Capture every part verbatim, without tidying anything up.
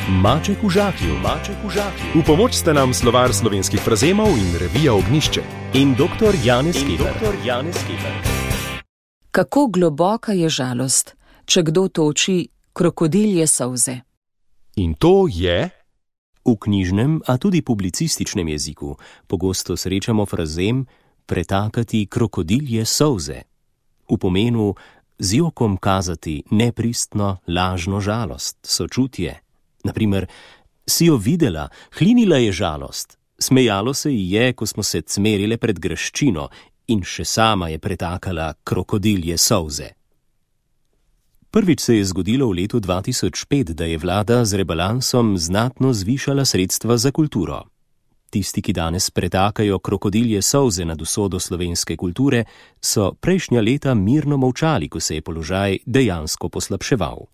Maček v žaklju, maček v žaklju. V pomoč sta nam slovar slovenskih frazemov in revija Ognjišče. In doktor Janez Keber. Kako globoka je žalost, če kdo toči krokodilje solze. In to je... V knjižnem, a tudi publicističnem jeziku pogosto srečamo frazem pretakati krokodilje solze. V pomenu z jokom kazati nepristno, lažno žalost, sočutje. Naprimer, si jo videla, hlinila je žalost, smejalo se ji je, ko smo se cmerile pred graščino in še sama je pretakala krokodilje solze. Prvič se je zgodilo v letu dva tisoč pet, da je vlada z rebalansom znatno zvišala sredstva za kulturo. Tisti, ki danes pretakajo krokodilje solze nad usodo slovenske kulture, so prejšnja leta mirno molčali, ko se je položaj dejansko poslabševal.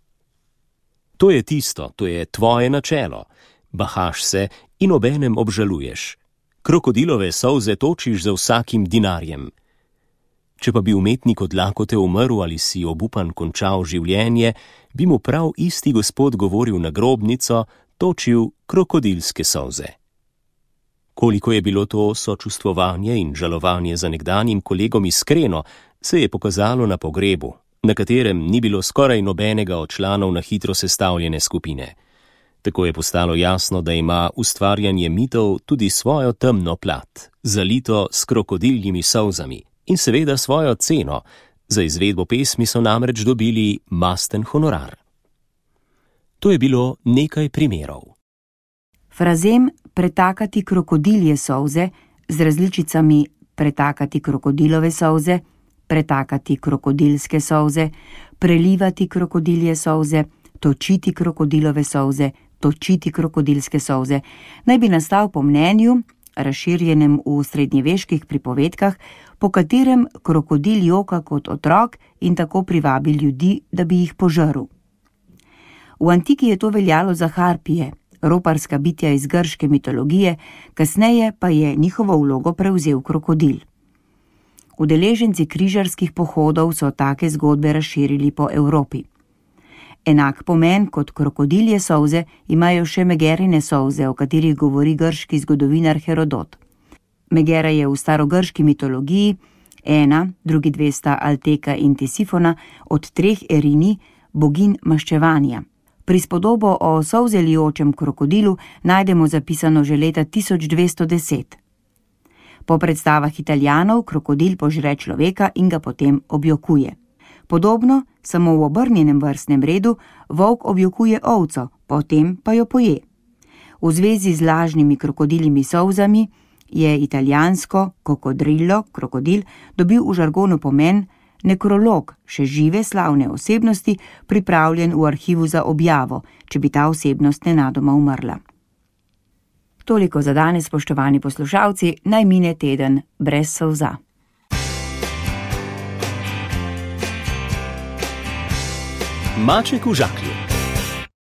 To je tisto, to je tvoje načelo. Bahaš se in obenem obžaluješ. Krokodilove solze točiš za vsakim dinarjem. Če pa bi umetnik od lakote umrl ali si obupan končal življenje, bi mu prav isti gospod govoril na grobnico, točil krokodilske solze. Koliko je bilo to sočustvovanje in žalovanje za nekdanjim kolegom iskreno, se je pokazalo na pogrebu, na katerem ni bilo skoraj nobenega od članov na hitro sestavljene skupine. Tako je postalo jasno, da ima ustvarjanje mitov tudi svojo temno plat, zalito s krokodiljimi solzami in seveda svojo ceno. Za izvedbo pesmi so namreč dobili masten honorar. To je bilo nekaj primerov. Frazem pretakati krokodilje solze z različicami pretakati krokodilove solze, pretakati krokodilske solze, prelivati krokodilje solze, točiti krokodilove solze, točiti krokodilske solze, naj bi nastal po mnenju, razširjenem v srednjeveških pripovedkah, po katerem krokodil joka kot otrok in tako privabi ljudi, da bi jih požrl. V antiki je to veljalo za harpije, roparska bitja iz grške mitologije, kasneje pa je njihovo vlogo prevzel krokodil. Udeleženci križarskih pohodov so take zgodbe razširili po Evropi. Enak pomen kot krokodilje solze imajo še Megerine solze, o katerih govori grški zgodovinar Herodot. Megera je v starogrški mitologiji ena, drugi dve sta Alteka in Tisifona, od treh Erini, bogin maščevanja. Prispodobo o solzelijočem krokodilu najdemo zapisano že leta tisoč dvesto deset. Po predstavah Italijanov krokodil požre človeka in ga potem objokuje. Podobno, samo v obrnjenem vrstnem redu, volk objokuje ovco, potem pa jo poje. V zvezi z lažnimi krokodiljimi solzami je italijansko kokodrillo, krokodil, dobil v žargonu pomen nekrolog, še žive slavne osebnosti, pripravljen v arhivu za objavo, če bi ta osebnost nenadoma umrla. Toliko za danes, spoštovani poslušalci, naj mine teden brez solza. Maček v žaklju.